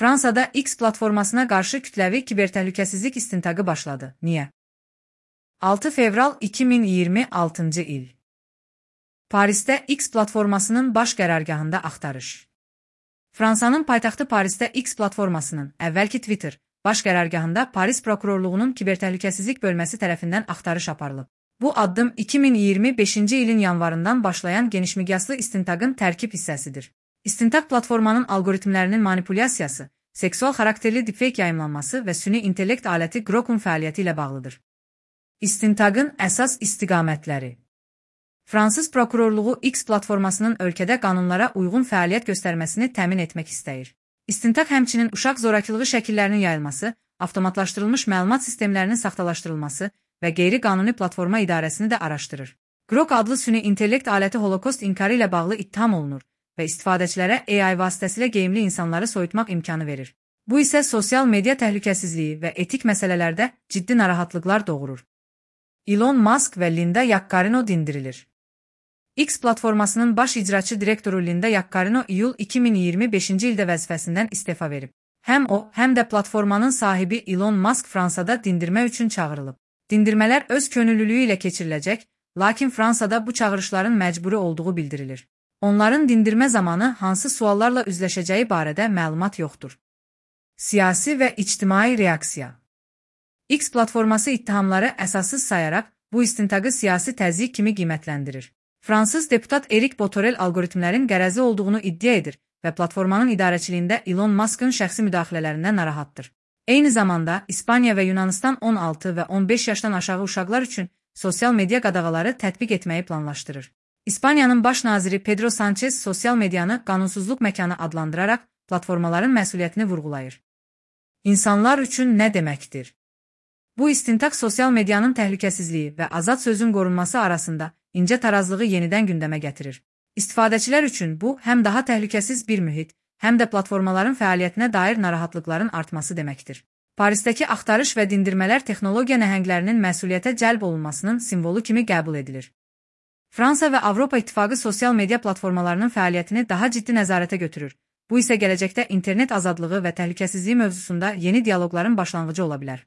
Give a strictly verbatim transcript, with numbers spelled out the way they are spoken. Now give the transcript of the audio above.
Fransada X platformasına qarşı kütləvi kibertəhlükəsizlik istintaqı başladı. Niyə? altı fevral iki min iyirmi altıncı il. Parisdə X platformasının baş qərargahında axtarış. Fransanın paytaxtı Parisdə X platformasının, əvvəlki Twitter, baş qərargahında Paris prokurorluğunun kibertəhlükəsizlik bölməsi tərəfindən axtarış aparılıb. Bu addım iki min iyirmi beşinci ilin yanvarından başlayan genişmiqyaslı istintaqın tərkib hissəsidir. İstintaq platformanın algoritmlərinin manipulyasiyası, seksual xarakterli deepfake yayımlanması və süni intellekt aləti Grok'un fəaliyyəti ilə bağlıdır. İstintaqın əsas istiqamətləri. Fransız prokurorluğu X platformasının ölkədə qanunlara uyğun fəaliyyət göstərməsini təmin etmək istəyir. İstintaq həmçinin uşaq zorakılığı şəkillərinin yayılması, avtomatlaşdırılmış məlumat sistemlərinin saxtalaşdırılması və qeyri-qanuni platforma idarəsini də araşdırır. Grok adlı süni intellekt aləti holokost inkarı ilə bağlı ittiham olunur və istifadəçilərə A I vasitəsilə geyimli insanları soyutmaq imkanı verir. Bu isə sosial media təhlükəsizliyi və etik məsələlərdə ciddi narahatlıqlar doğurur. Elon Musk və Linda Yaccarino dindirilir. X platformasının baş icraçı direktoru Linda Yaccarino iyul iki min iyirmi beşinci ildə vəzifəsindən istefa verib. Həm o, həm də platformanın sahibi Elon Musk Fransada dindirmə üçün çağırılıb. Dindirmələr öz könüllülüyü ilə keçiriləcək, lakin Fransada bu çağırışların məcburi olduğu bildirilir. Onların dindirmə zamanı hansı suallarla üzləşəcəyi barədə məlumat yoxdur. Siyasi və ictimai reaksiya. X platforması ittihamları əsassız sayaraq bu istintaqı siyasi təzyiq kimi qiymətləndirir. Fransız deputat Erik Botorel algoritmlərin qərəzi olduğunu iddia edir və platformanın idarəçiliyində Elon Musk'ın şəxsi müdaxilələrindən narahatdır. Eyni zamanda İspaniya və Yunanistan on altı və on beş yaşdan aşağı uşaqlar üçün sosial media qadağaları tətbiq etməyi planlaşdırır. İspaniyanın baş naziri Pedro Sanchez sosial medianı qanunsuzluq məkanı adlandıraraq platformaların məsuliyyətini vurğulayır. İnsanlar üçün nə deməkdir? Bu istintaq sosial medianın təhlükəsizliyi və azad sözün qorunması arasında incə tarazlığı yenidən gündəmə gətirir. İstifadəçilər üçün bu, həm daha təhlükəsiz bir mühit, həm də platformaların fəaliyyətinə dair narahatlıqların artması deməkdir. Parisdəki axtarış və dindirmələr texnologiya nəhənglərinin məsuliyyətə cəlb olunmasının simvolu kimi qəbul edilir. Fransa və Avropa İttifaqı sosial media platformalarının fəaliyyətini daha ciddi nəzarətə götürür. Bu isə gələcəkdə internet azadlığı və təhlükəsizliyi mövzusunda yeni dialoqların başlanğıcı ola bilər.